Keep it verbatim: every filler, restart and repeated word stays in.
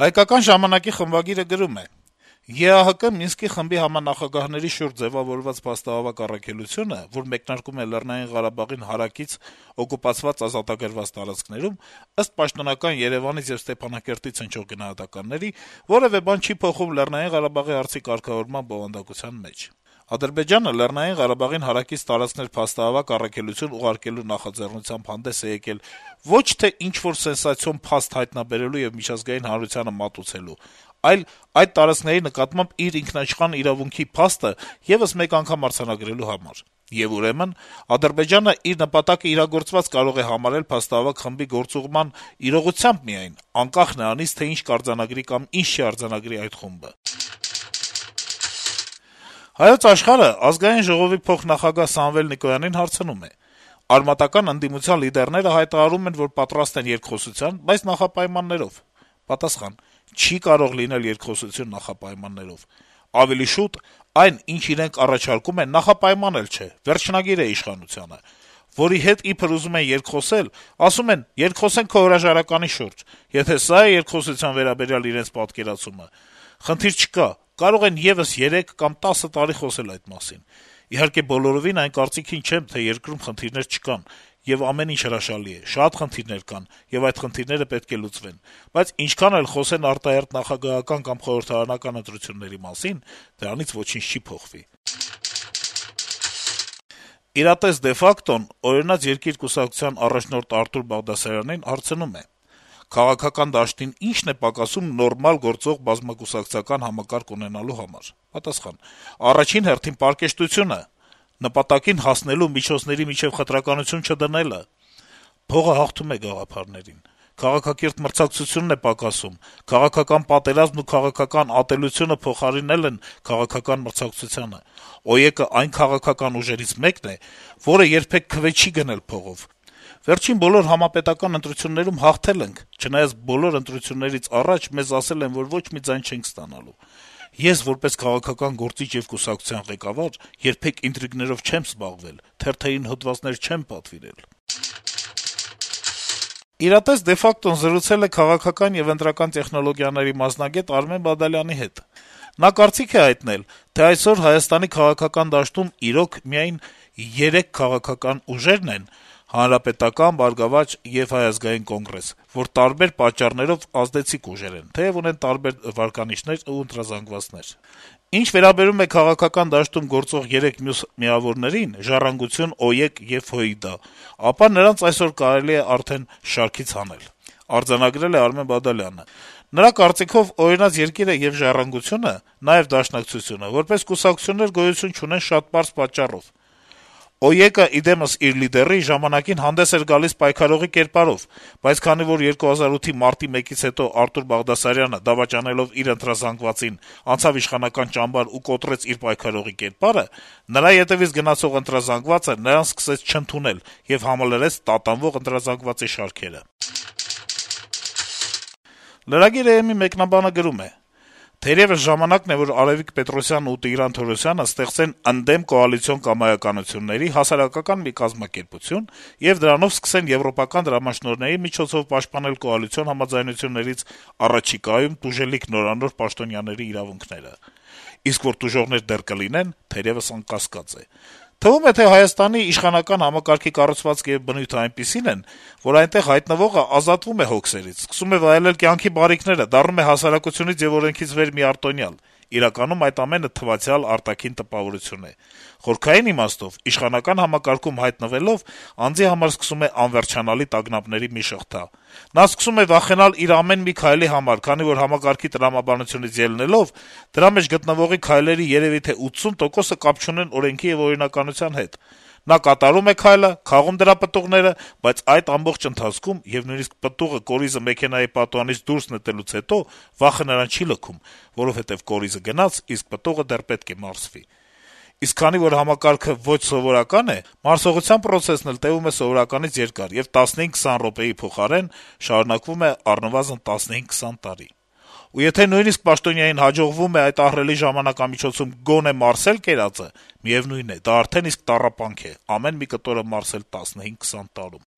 Հայկական ժամանակի խմբագիրը գրում է. - «ԵԱՀԿ Մինսկի խմբի համանախագահների շուրջ ձեւավորված փաստահավաք առաքելությունը, որ մեկնարկում է Լեռնային Ղարաբաղին հարակից օկուպացված ազատագրված տարածքներում, ըստ պաշտոնական Երեւանից եւ Ստեփանակերտից հնչող գնահատականների, որեւէ բան չի փոխում Լեռնային Ղարաբաղի հարցի կարգավորման բովանդակության մեջ։ Ադրբեջանը Լեռնային Ղարաբաղին հարակից տարածքներ փաստահավաք առաքելություն ուղարկելու նախաձեռնությամբ հանդես է եկել ոչ թե ինչ-որ սենսացիոն փաստ հայտնաբերելու եւ միջազգային հանրությանը մատուցելու, այլ այդ տարածքների նկատմամբ իր ինքնաիշխան իրավունքի փաստը եւս մեկ անգամ արձանագրելու համար։ Եվ ուրեմն Ադրբեջանը իր նպատակը իրագործված կարող է համարել փաստահավաք խմբի գործուղման իրողությամբ միայն, անկախ նրանից, թե ինչ կարձանագրի կամ ինչ չի արձանագրի այդ խումբը»։ «Հայոց Աշխարհ»-ը Ազգային ժողովի փոխնախագահ Սամվել Նիկոյանին հարցնում է. - «Արմատական ընդդիմության լիդերները հայտարարում են, որ պատրաստ են երկխոսության, բայց նախապայմաններով»։ Պատասխան. - «Չի կարող լինել երկխոսություն նախապայմաններով։ Ավելի շուտ, այն, ինչ իրենք առաջարկում են, նախապայման էլ չէ, վերջնագիր է իշխանությանը, որի հետ իբր ուզում են երկխոսել, ասում են՝ երկխոսենք քո հրաժարականի շուրջ։ Եթե սա է երկխոսության վերաբերյալ իրենց պատկերացումը, խնդիր չկա, կարող են եւս երեք կամ տասը տարի խոսել այդ մասին։ Իհարկե, բոլորովին այն կարծիքին չեմ, թե երկրում խնդիրներ չկան, եւ ամեն ինչ հրաշալի է, շատ խնդիրներ կան, եւ այդ խնդիրները պետք է լուծվեն, բայց ինչքան էլ խոսեն արտահերթ նախագահական կամ խորհրդարանական ընտրությունների մասին, դրանից ոչինչ չի փոխվի»։ «Իրատես de facto-ն» «Օրինաց երկիր» կուսակցության առաջնորդ Արթուր Բաղդասարյանին հարցնում է. - «Քաղաքական դաշտին ի՞նչն է պակասում նորմալ գործող բազմակուսակցական համակարգ ունենալու համար»։ Պատասխան. - «Առաջին հերթին պարկեշտությունը, նպատակին հասնելու միջոցների միջեւ խտրականություն չդնելը։ Փողը հաղթում է գաղափարներին։ Քաղաքակիրթ մրցակցությունն է պակասում, քաղաքական պատերազմն ու քաղաքական ատելությունը փոխարինել են քաղաքական մրցակցությանը։ ՕԵԿ-ը այն քաղաքական ուժերից մեկն է, որը երբեք քվե չի գնել փողով։ Վերջին բոլոր համապետական ընտրություններում հաղթել ենք, չնայած բոլոր ընտրություններից առաջ մեզ ասել են, որ ոչ մի ձայն չենք ստանալու։ Ես, որպես քաղաքական գործիչ եւ կուսակցության ղեկավար, երբեք ինտրիգներով չեմ զբաղվել, թերթային հոդվածներ չեմ պատվիրել»։ «Իրատես de facto-ն» զրուցել է քաղաքական եւ ընտրական տեխնոլոգիաների մասնագետ Արմեն Բադալյանի հետ։ Նա կարծիք է հայտնել, թե այսօր Հայաստանի քաղաքական դաշտում իրոք միայն երեք քաղաքական ուժերն են՝ Հանրապետական, Բարգավաճ եւ Հայ ազգային կոնգրես, որ տարբեր պատճառներով ազդեցիկ ուժեր են, թեեւ ունեն տարբեր վարկանիշներ ու ընտրազանգվածներ։ Ինչ վերաբերում է քաղաքական դաշտում գործող երեք մյուս միավորներին՝ «Ժառանգություն», ՕԵԿ եւ ՀՅԴ, ապա նրանց այսօր կարելի է արդեն շարքից հանել, արձանագրել է Արմեն Բադալյանը։ Նրա կարծիքով «Օրինաց երկիր»-ը եւ «Ժառանգությունը», նաեւ Դաշնակցությունը, որպես կուսակցություններ գոյություն չունեն շատ պարզ պատճառով։ ՕԵԿ-ը, ի դեմս իր լիդերի, ժամանակին հանդես էր գալիս պայքարողի կերպարով, բայց քանի որ երկու հազար ութի մարտի մեկից հետո Արթուր Բաղդասարյանը, դավաճանելով իր ընտրազանգվածին, անցավ իշխանական ճամբար ու կոտրեց իր պայքարողի կերպարը, նրա ետեւից գնացող ընտրազանգվածը նրան սկսեց չընդունել եւ համալրեց տատանվող ընտրազանգվածի շարքերը»։ Lragir.am-ի մեկնաբանը գրում է. - «Թերեւս ժամանակն է, որ Արեւիկ Պետրոսյանն ու Տիգրան Թորոսյանը ստեղծեն ընդդեմ կոալիցիոն կամայականությունների հասարակական մի կազմակերպություն եւ դրանով սկսեն եվրոպական դրամաշնորհների միջոցով պաշտպանել կոալիցիոն համաձայնություններից առաջիկայում տուժելիք նորանոր պաշտոնյաների իրավունքները։ Իսկ որ տուժողներ դեռ կլինեն, թերեւս անկասկած է։ Թվում է, թե Հայաստանի իշխանական համակարգի կառուցվածքը եւ բնույթը այնպիսին են, որ այնտեղ հայտնվողը ազատվում է հոգսերից, սկսում է վայելել կյանքի բարիքները, դառնում է հասարակությունից եւ օրենքից վեր մի արտոնյալ։ Իրականում այդ ամենը թվացյալ արտաքին տպավորություն է։ Խորքային իմաստով, իշխանական համակարգում հայտնվելով, անձի համար սկսում է անվերջանալի տագնապների մի շղթա։ Նա սկսում է վախենալ իր ամեն մի քայլի համար, քանի որ համակարգի տրամաբանությունից ելնելով, դրա մեջ գտնվողի քայլերի երեւի թե ութսուն տոկոսը կապ չունեն օրենքի եւ օրինականության հետ։ Նա կատարում է քայլը, քաղում դրա պտուղները, բայց այդ ամբողջ ընթացքում եւ նույնիսկ պտուղը կորիզը մեքենայի պատուհանից դուրս նետելուց հետո վախը նրան չի լքում, որովհետեւ կորիզը գնաց, իսկ պտուղը դեռ պետք է մարսվի։ Իսկ քանի որ համակարգը ոչ սովորական է, մարսողության պրոցեսն էլ տեւում է սովորականից երկար եւ տասնհինգ-քսան րոպեի փոխարեն շարունակվում է առնվազն տասնհինգ-քսան տարի։ Ու եթե նույնիսկ պաշտոնյային հաջողվում է այդ ահռելի ժամանակամիջոցում գոնե մարսել կերածը, միեւնույն է, դա արդեն իսկ տառապանք է՝ ամեն մի կտորը մարսել տասնհինգ-քսան տարում»։